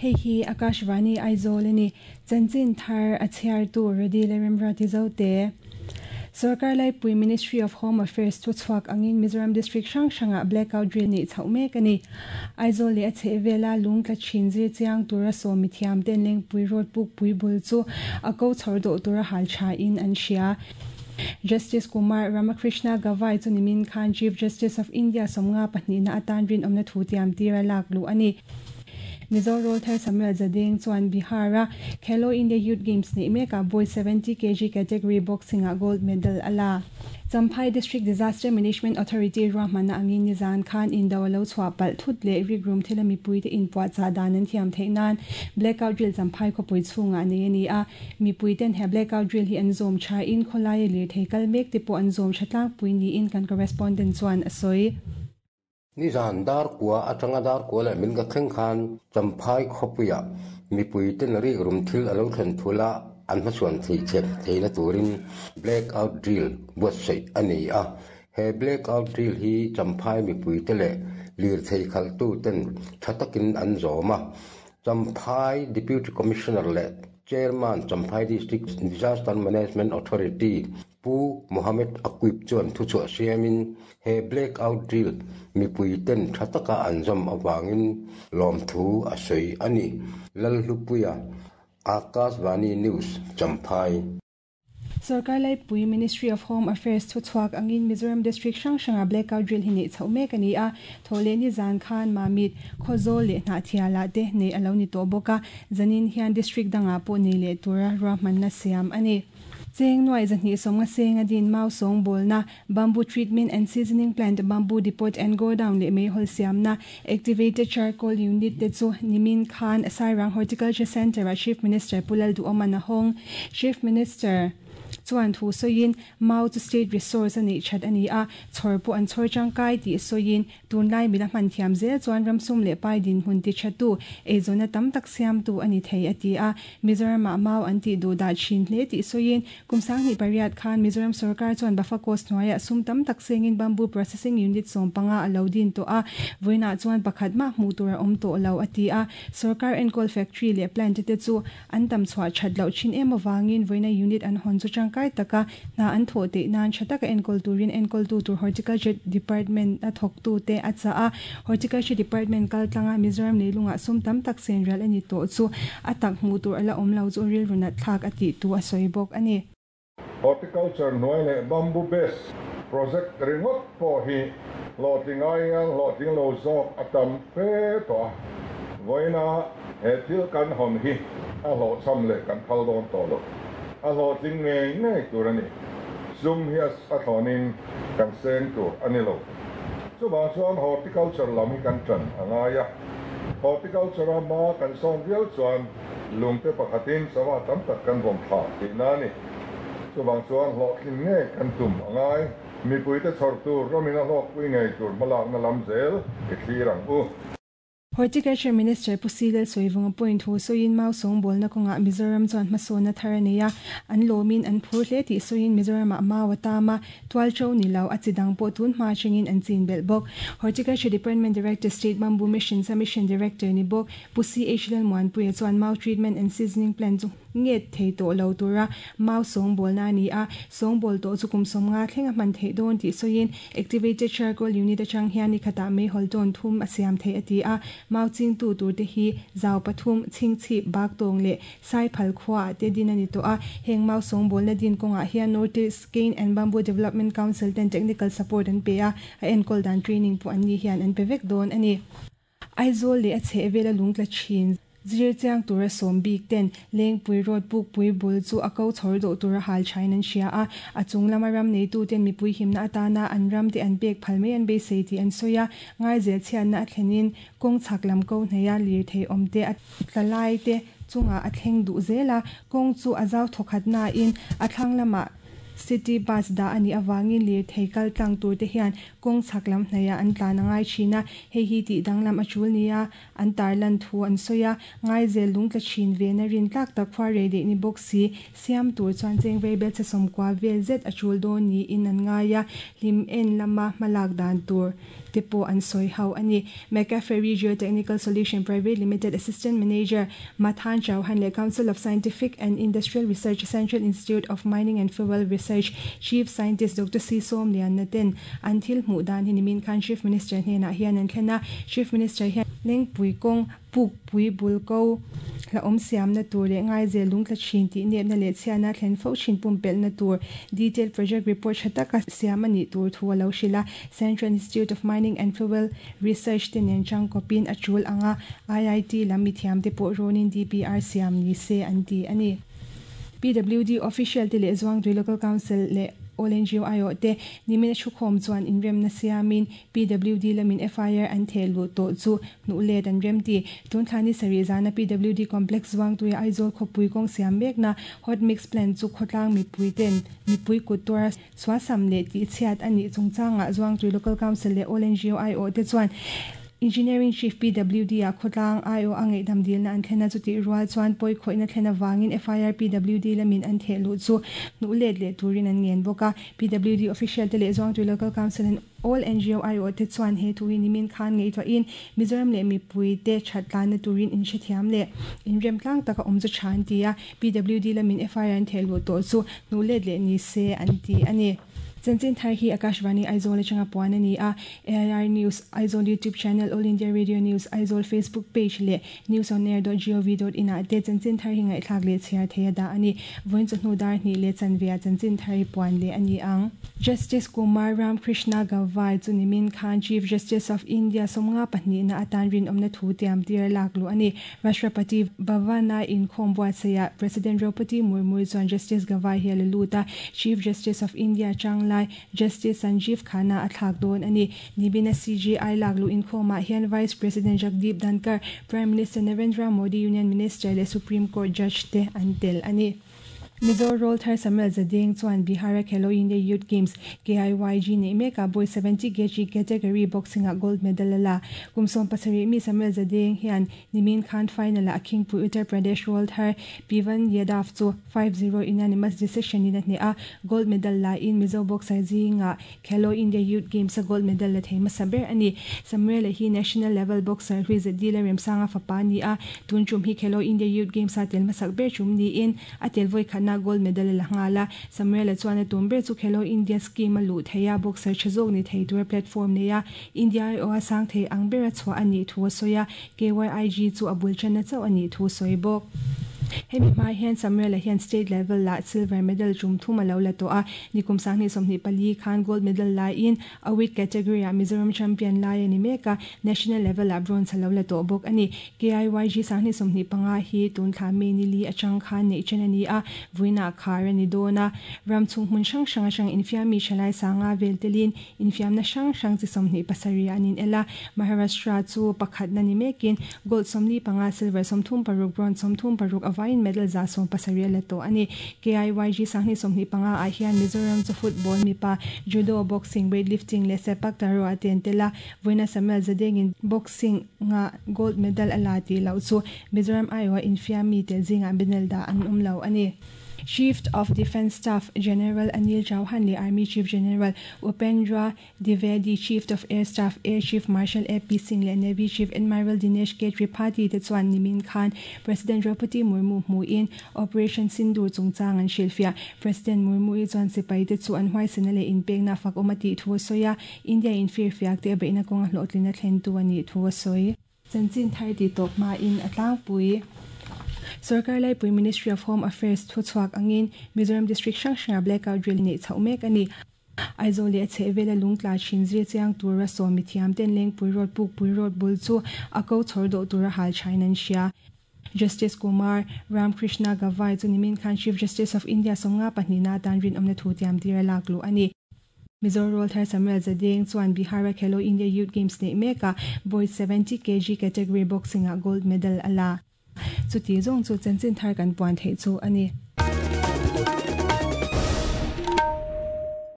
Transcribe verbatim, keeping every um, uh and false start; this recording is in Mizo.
Hei hi Akashvani Aizawl ani chanchin thar a chhiar tu Redi Leremra ti zo te. Sarkar lai pui Ministry of Home Affairs thu chhuak angin Mizoram District hrang hranga blackout drill ni chho mek ani. Aizawl leh a chhehvela lungtla thin zir chiang tura sawmi thiam ten lengpui road puk pui bul chu a ko chhor do tura hal tha in an hria. Justice Kumar Ramakrishna Gavai chu nimin khan Chief Justice of India somnga pahnih na atan rin omna thu tiam tira lak lu ani. Mizo Roll Thar Samuel Zadeng chuan Bihara Khelo India Youth Games ni meka boys seventy kilogram category boxing a gold medal ala. Champhai District Disaster Management Authority ruahmana angin nizan khan in dawlo chhuah pal thut leh rik room thila mipui te in puah cha dan an thiam theih nan blackout drill Champhai khawpui chhunga nei ani a. Mipui ten he blackout drill hi an zawm tha in khawlai lir thei kal mek te pawh an zawm tha tlangpui niin kan correspondent chuan a sawi. Ni zan dar kwa atanga dar kwa leh min ka thleng khan Champhai khawpuia mipui ten rik rum thil alo thlen thula an hmachhuan thei chep theina turin blackout drill buatsaih ani a. He blackout drill hi Champhai mipui te leh lir thei khal tu ten thatakin an zawma. Champhai Deputy Commissioner leh Chairman Champhai District Disaster Management Authority Pu Mohammed Aquib chuan thu chhuah siamin he blackout drill mipui ten thataka an zawm awangin lawm thu a sawi ani. Lalhlupuia, Akashvani News, Champhai. Sarkar lai pui Ministry of Home Affairs thu chhuak angin Mizoram District hrang hranga blackout drill hi nei chho mek ani a. Thawle ni zan khan Mamit Khawzawl leh Hnahthiala te nei alo ni tawh bawk a. Zanin hian district danga pawh nei leh tura ruahmanna siam ani. Cheng nuai zahnih sawmnga senga din mau sawng bawlna bamboo treatment and seasoning plant bamboo depot and go down leh meihol siamna activated charcoal unit te chu nimin khan Sairang Horticulture Center a Chief Minister Pulal Duoman a hawng. Chief Minister chuan thu sawiin mau chu state resource ani that ani a chhor pawh an chhor tangkai tih sawiin tunlai mila hman thiam zel chuan ramsum leh pai din hun ti thatu eizawna tam tak siam tu ani thei ati a. Mizoram ah mau an tih duh dah thin hle tih sawiin kumsang ni pariat khan Mizoram sarkar chuan Bafakos hnuaiah sum tam tak sengin bamboo processing unit sawm panga alo din tawh a. Vawiinah chuan pakhat mah hmuh tur a awm tawh lo ati a. Sarkar enkawl factory leh plant te chu an tam chhuah that loh thin em awangin vawiina unit an hawn chu tangkai taka na an thaw te nan thataka enkawl turin enkawl tu tur horticulture department a thawk tu te a cha a. Horticulture department kal tlanga Mizoram leilunga sum tam tak sen ral ani tawh chu a tak hmuh tur ala awm lo chu rilru nat thlak a tih tu a sawi bawk ani. Horticulture hnuai leh bamboo base project ringawt pawh hi hlawhtling aiin hlawhtling lo zawk a tam fe tawh a. Vawiina he thil kan hawn hi a hlawhchham leh kan phal dawn tawh lo. A hlawhtling ngei ngei tur ani. Sum hi a thlawnin kan seng tur ani lo. Chuvang chuan horticulture lam hi kan tan a ngai a. Horticulture a ma kan sawn viau chuan lungte pakhatin sava tam tak kan vawm thla tihna ani. Chuvang chuan hlawhtling ngei kan tum a ngai. Mipui te chhawr tur ramin a hlawkpui ngei tur hmalakna lam zel i thlir ang u. Horticulture Minister Pusilel Soivunga point thu sawiin mau sawng bawlna kawnga Mizoram chuan hmasawnna thar ani a. An lawmin an phur hle tih sawiin Mizoram ah mau a tama tual tho ni lo a chidang pawh tun hma thlengin an chin belh bawk. Horticulture Department Director State Bamboo Mission Submission Director ni bawk Pusi H Lalmuanpuia chuan mau treatment and seasoning plant chu nget thei tawh lo tura mau sawng bawlna ani a. Sawng bawl tawh chu kum sawmnga thleng a hman theih dawn tih sawiin activated charcoal unit atang hian ni khatah meihol tawn thum a siam thei ati a. Mau ching tu tur te hi zau pathum ching chhip bak tawng leh sai phal khuwa te din ani tawh a. Heng mau sawng bawlna din kawngah hian North East Cane and Bamboo Development Council ten technical support an pe a. A enkawl dan training pawh an ni hian an pe vek dawn ani. Aizawl leh a chhehvela lungtla thin zir chiang tura sawm bik ten lengpui road pukpui bul chu a ko chhawr dawh tura hal thain an hria a. A chung lama ram nei tu ten mipui himna atana an ram te an pek phal mai an beisei tih an sawi a. Ngaizel chhiatna a thlenin kawng chhak lam ko hneia lir thei awm te a tlalai te chunga a thleng duh zel a. Kawng chu a zau thawkhat na in a thlang lamah city bus da ani awangin lir thei kal tlang tur te hian kawng chhak lam hneia an tlan a ngai thin a. Hei hi tih danglam a tul nia an tarlan thu an sawi a. Ngaizel lungtla thin ve na rin tlak tak khua rei deh ni bawk si siam tur chuan cheng vei bel che sawmkua vel zet a tul dawn niin an ngai a. Hlim en lama hmalak dan tur te pawh an sawi ho ani. McCaffery Geotechnical Solution Private Limited Assistant Manager Mathan Chauhan leh Council of Scientific and Industrial Research Central Institute of Mining and Fuel Research Chief Scientist Doctor C Som Lian na ten an thil hmuh dan hi nimin khan Chief Minister hnenah hian an thlen a. Chief Minister hian Lengpui kawng puk pui bul ko la awm siam na tur leh ngai zel lung tla thin tih nep na leh chhiatna thlen fo thin pum pelh na tur detailed project report tha taka siam ani tur thu a lo hrila. Central Institute of Mining and Fuel Research te nen chang kopin a chul anga I I T lam mi thiam te pawh rawnin D P R siam ni se an ti ani. P W D official te leh Zuangtui Local Council leh All N G O I O te nimina thukhawm chuan inremna siamin P W D lamin F I R an theh luh tawh chu hnuh let an rem ti. Tun thlani sarih zana P W D complex Zuangtui Aizawl khawpui kawng siam mekna hot mix plan chu khawtlang mipui ten mipui kut tuar suasam leh tih chhiat ani chungchangah Zuangtui Local Council leh All N G O I O te chuan Engineering Chief P W D a khawtlang I O a ngaihdam dilna an thlena chu tih rual chuan pawi khawihna thlena wangin F I R P W D lamin an theh luh chu hnuh let leh turin an ngen bawk a. P W D official te leh Zuangtui Local Council and All N G O I O te chuan he thu hi nimin khan ngaihtuah in Mizoram leh mipui te thatlan na turin in hrethiam leh inrem tlang taka awm chu tha an ti a. P W D lamin F I R an theh luh tawh chu hnuh let leh ni se an ti ani. Chanchin thar hi Akashvani Aizawl atanga puan ani a. A I R News Aizawl YouTube channel, All India Radio News Aizawl Facebook page leh news on air dot gov dot in ah te chanchin thar hi ngaihthlak leh chhiar theia da ani. Vawiin chu hnu dar hnih leh chanvia chanchin thar hi puan leh ani ang. Justice Kumar Ramkrishna Gavai chu nimin khan Chief Justice of India somnga pahnih na atan rin awmna thu tiam tir lak lu ani. Rashtrapati Bhavana in khawm buatsaia President Draupadi Murmu chuan Justice Gavai hi a la lut a. Chief Justice of India chang lai Justice Sanjeev Khanna a thlak dawn ani. Nibina C J I lak lu in khawmah hian Vice President Jagdeep Dhankhar, Prime Minister Narendra Modi, Union Minister leh Supreme Court Judge te an tel ani. Mizo Roll Thar Samuel Zadeng chuan Bihar Khelo India Youth Games K I Y G nei meka boy seventy kg category boxing a gold medal la. Kumsom pasarih mi Samuel Zadeng hian nimin khan final a Khingpui Uttar Pradesh Roll Thar Pivan Yadav chu five zero unanimous decision in a hne a gold medal la in Mizo boxer zinga Khelo India Youth Games a gold medal la thei hmasa ber ani. Samuel hi national level boxer hui zadi la remsanga fapa ni a. Tun chum hi Khelo India Youth Games a tel hmasak ber chum ni in a tel voi khana gold medal la ngala. Samuel chuan a tum ber chu Khelo India scheme a lu theia boxer chazok ni thei tur platform neia India o a sang thei ang ber a chhuah ani thu soya K Y I G chu a bul chana chau ani thu soi bawk. Hemi hma hian Samuel hian state level la silver medal chum thum a lo la to a. Nikum sangni sawmhnih pali khan gold medal la in a weight category a Mizoram champion lai ani meka national level a bronze a lo la to bawk ani. K I Y G sangni sawmhnih panga hi tun thla me ni li atang khan nei chen ani a vuina khar ani dona ram chung hmun hrang hrang atang infiam mi thalai sanga vel telin infiam na hrang hrang chi sawmhnih pasarih anin ela. Maharashtra chu pakhat na ni mekin gold sawmli panga silver sawmthum paruk bronze sawmthum paruk awai medal za som pasarih la to ani. K I Y G sangni sawmhnih panga ah hian Mizoram chu football mipa judo boxing weightlifting leh sepak takraw a ten tela vawiina Samuel Zadengin boxing nga gold medal a la tih loh chu Mizoram aiawh infiam mi tel zingah medal dah an awm lo ani. Chief of Defence Staff General Anil Chauhan le Army Chief General Upendra Dwivedi, Chief of Air Staff Air Chief Marshal A P Singh le Navy Chief Admiral Dinesh K Tripathi te chuan nimin khan President Draupadi Murmu hmuin Operation Sindoor chungchang an hrilhfiah. President Murmu i chuan sipai te chu an huaisena leh inpekna fak awm a tih thu a sawi a. India in firfiak te a beihna kawnga hlawhtlin a thlen tu ani thu a sawi. Chanchin thar ti tawp hma in a tlangpui Sarkar Laipui Ministry of Home Affairs thu chhuak angin Mizoram District hrang hranga blackout drill nei chhoh mek ani. Aizawl leh a chhehvela lungtla thin zir chiang tura sawm mi thiam ten Lengpui Road Pukpui Road bul chu a ko chhawr dawh tura hal thain an hria. Justice Kumar Ramkrishna Gavai chu nimin khan Chief Justice of India somnga pahnih na atan rin awmna thu tiam tir a lak lu ani. Mizo Roll Thar Samuel Zadeng chuan Bihar Khelo India Youth Games nei meka boys seventy kg category boxing a gold medal ala. Chu ti zawng chu chanchin thar kan puan theih chu ani.